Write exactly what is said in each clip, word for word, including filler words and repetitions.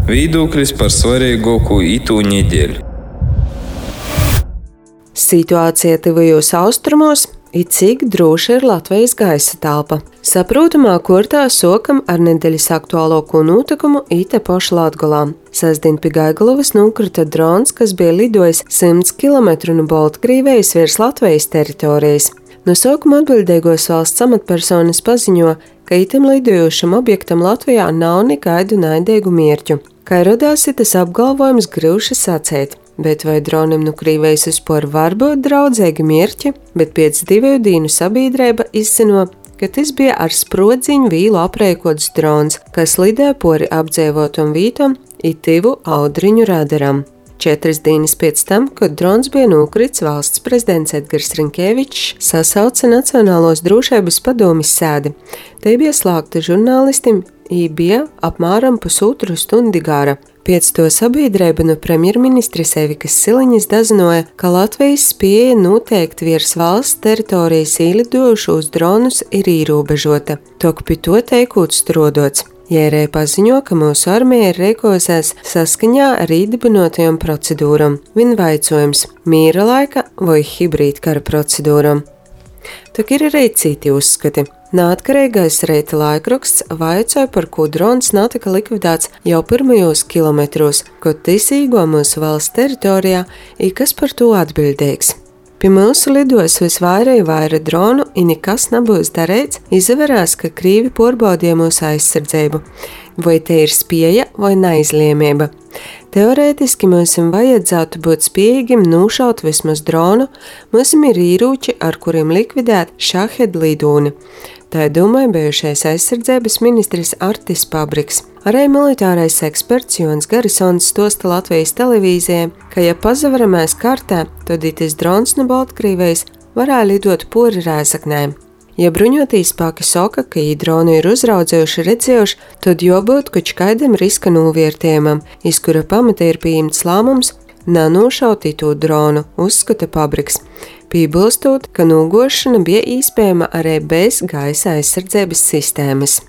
Viedoklis par svarīgāko itū nedēļu. Situācija tuvajos austrumos it cik droši ir Latvijas gaisa telpa. Saprotamā kortā sokam ar nedēļas aktuālāko notikumu ite poša Latgolā. Sestdien pie Gaigalovas nokrita drons, kas bija lidojis simts kilometru no Baltkrīvejas virs Latvijas teritorijas. No sākuma atbildīgos valsts amatpersonas paziņo, ka itam lidojošam objektam Latvijā nav nekaidu naidīgu mērķu. Kā rodās tas apgalvojums grūši sacēt, bet vai dronam no Krīvejas uzpor var būt draudzīgi mērķi, bet pēc divu dienu sabiedrība izzino, ka tas bija ar sprodziņu vīlu aprēkots drons, kas lidē pori apdzīvotam vītam it tivu audriņu radaram. Četras dienas pēc tam, kad drons bija nokrits, valsts prezidents Edgars Rinkēvičs sasauca Nacionālos drošības padomes sēdi. Te bija slēgta žurnālistim, i bija apmēram pusotru stundi gara. Pēc to sabiedrība no premjerministres Evikas Siliņas dazinoja, ka Latvijas spēja noteikt virs valsts teritorijas īlidojušos dronus ir ierobežota, tok pie to teikot strodots. Jērēja paziņo, ka mūsu armija ir rīkojusies saskaņā ar īdibinotajām procedūram. Viņa vaicojums – mīra laika vai hibrīd kara procedūram. Tok ir arī citi uzskati. Neatkarīgais Reita laikraksts vaicoja, par ko drons natika likvidēts jau pirmajos kilometros, kad tas īgo mūsu valsts teritorijā, i kas par to atbildīgs. Pie mūsu lidos visvairāk vaira dronu, i nekas nebūs darīts, izvērās, ka Krīvi porbaudīja mūsu aizsardzību. Vai te ir spēja vai neizliemība? Teorētiski mums vajadzētu būt spējīgiem nūšaut vismaz dronu, mums ir īrūči, ar kuriem likvidēt šahed lidūni. Tā domāja bijušais aizsardzības ministrs Artis Pabriks. Arī militārais eksperts Jons Garisons stosta Latvijas televīzijai, ka ja pazavaramais kartē, tad itis drons no Baltkrīvejas varētu lidot pori Rēzaknē. Ja bruņotī spēki saka, ka ī dronu ir uzraudzējuši redzējuši, tad jābūt koč kaidam riska novērtējumam, iz kura pamata ir pieņemts lēmums nenošaut itū dronu, uzskata Pabriks. Piebilstot, ka nogošana bija iespējama arī bez gaisa aizsardzības sistēmas.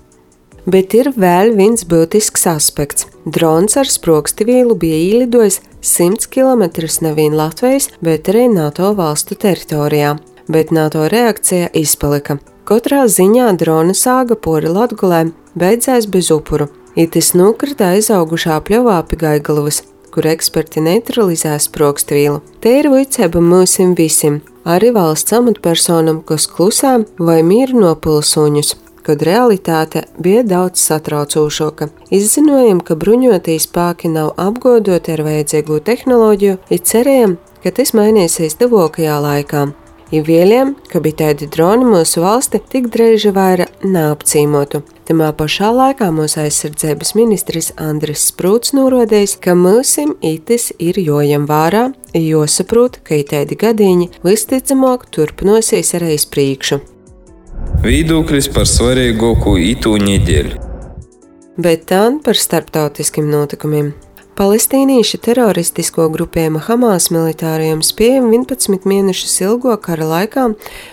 Bet ir vēl viens būtisks aspekts. Drons ar sprogstivīlu bija īlidojis simts kilometrus nevien Latvijas, bet arī NATO valstu teritorijā. Bet NATO reakcija izpalika. Katrā ziņā drona sāga pori Latgolē beidzās bez upuru. Itis nokrita aizaugušā pļovā pie Gaigalovas, kur eksperti neutralizēs sprogstvīlu. Te ir vicēba mūsim visiem, arī valsts amatpersonam, kas klusām vai mīru no pilsoņus, kad realitāte bija daudz satraucošāka. Izzinojam, ka bruņotī spēki nav apgodoti ar vajadzīgo tehnoloģiju, i cerējam, ka tas mainīsies tuvākajā laikā. I vēļiem, ka bija tādi droni mūsu valsti tik dreiži vaira neapcīmotu. Tamā pašā laikā mūsu aizsardzības ministrs Andris Sprūts norādījis, ka mūsim itis ir jojam vārā, josaprot, ka itādi gadīņi visticamāk turpinosies arī iz priekšu. Viedoklis par svarīgāko itū nedēļu. Bet tā par starptautiskiem notikumiem. Palestīnieši teroristisko grupējuma Hamas militārajiem spējiem vienpadsmit mēnešus ilgo kara laikā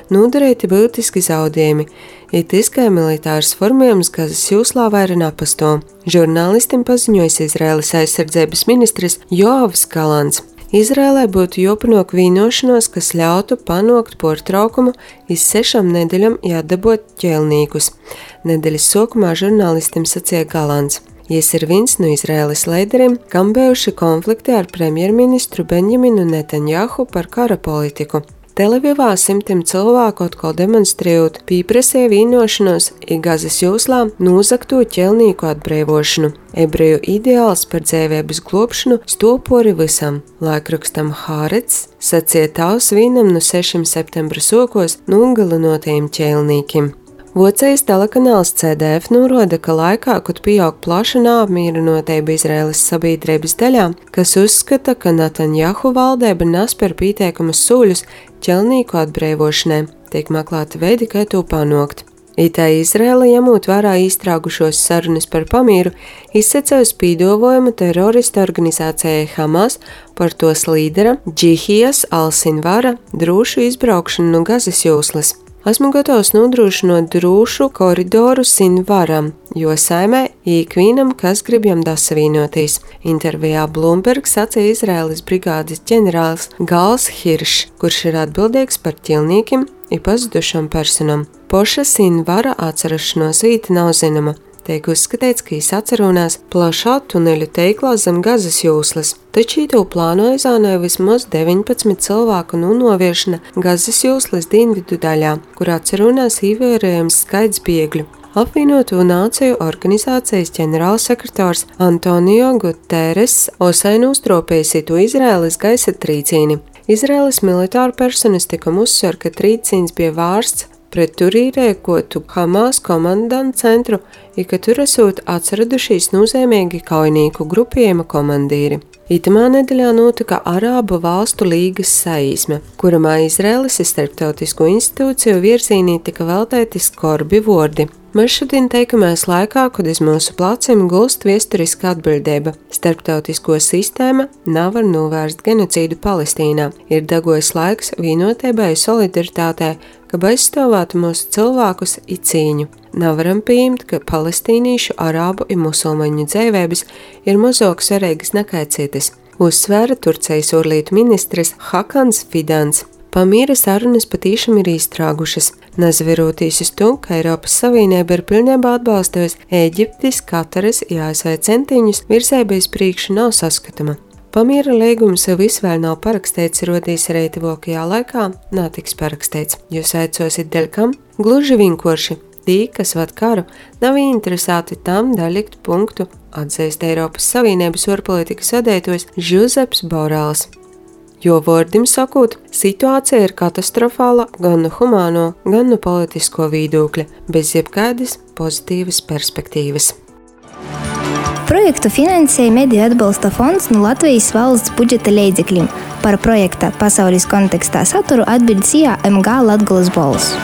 nodarīti būtiski zaudējumi, it izkai militārs formējums Gazas jūslā vaira napasto. Žurnālistim paziņojis Izraēlas aizsardzības ministrs Joavs Galants. Izraēlai būtu jāpanāk vienošanos, kas ļautu panākt pārtraukumu iz sešām nedēļām jādabot ķēlnīkus. Nedēļas sākumā žurnālistim sacīja Galants. Jis ir viens no Izraēlas līderiem, kam bijuši konflikti ar premjerministru Benjaminu Netanjahu par kara politiku. Televivā simtiem cilvēku atkal demonstrējot pieprasīja vienošanos i Gazas jūslā nozagto ķelnīku atbrīvošanu. Ebreju ideāls par dzīvības globšanu stopori visam. Laikrakstam Hārets sacīja tavs vienam no sešiem septembra sokos nogalinotajiem ķelnīkiem. Vocējs telekanāls C D F norāda, ka laikā, kad pieaug plaša neapmierinotība Izraēlas sabiedrības daļā, kas uzskata, ka Netanjahu valdība nespēr pieteikumus soļus ķelnīku atbrīvošanai, tiek meklēti veidi, kā to panākt. Itā Izraēla, ņemot vērā iztraukušos sarunas par pamieru, izsacēja spīdovojumu terorista organizācijai Hamas par tos līdera Džihijas al-Sinvara drošu izbraukšanu no Gazas jūslas. Esmu gatavs nodrošinot drošu koridoru Sinvaram, jo saimē ikvienam, kas grib jam dasavīnotīs. Intervijā Bloomberg sacīja Izraēlas brigādes ģenerālis Gals Hiršs, kurš ir atbildīgs par ķilniekiem i pazudušam personam. Poša Sinvara atcerašanos vīta nav zinama. Tiek uzskatīts, ka viņš atcerunās plašā tuneļu teiklā zem Gazas jūslas, taču to plāno izānēja vismaz deviņpadsmit cilvēku un noviešana Gazas jūslas dienvidu daļā, kur atcerunās ievērojams skaits bēgļu. Apvienoto nāciju organizācijas ģenerālsekretārs Antonio Guterres osaini uztropēja to Izraēlas gaisa trīcīni. Izraēlas militāru personistikam uzsver, ka trīcīns bija vārsts pret tur īrēkotu Hamas komandantu centru, i ka tur esot atsaradušies nozīmīgi kaujnieku grupējuma komandīri. Itamā nedēļā notika Arābu valstu līgas saīsme, kuramā Izraēlas starptautisko institūciju virzīnī tika veltēti skorbi vordi. Mēs šodien teikamais laikā, kad iz mūsu placiem gulst viesturiska atbildība. Starptautisko sistēma nav var novērst genocīdu Palestīnā. Ir dagojis laiks vienotībai un solidaritātei, ka aizstāvētu mūsu cilvēkus i cīņu. Nevaram pieņemt, ka palestīnīšu, arābu un musulmaņu dzīvības ir mazāk svarīgas nekā citas, uzsvēra Turcijas ārlietu ministrs Hakans Fidans. Pamiera sarunas patīšām ir izstrāgušas, nezverotīs uz to, ka Eiropas Savienība ir pilnībā atbalstījusi Ēģiptes, Kataras un A S V centiņus virzēbais priekšu nav saskatama. Pamiera līgums visvēl nav parakstīts, rodīs arī tuvākajā laikā nātiks parakstīts. Jūs aicosit dēļ kam? Gluži vienkārši. Tī, kas vad karu, nav interesēti tam daļikt punktu, atzīst Eiropas Savienības ārpolitikas vadītājs Žuzeps Borāls. Jo vārdim sakot, situācija ir katastrofāla gan no humāno, gan no politisko viedokļa, bez jebkādas pozitīvas perspektīvas. Projektu finansēja Mediju atbalsta fonds no Latvijas valsts budžeta līdzekļiem. Par projekta pasaules kontekstā saturu atbild S I A M G Latgolas balss.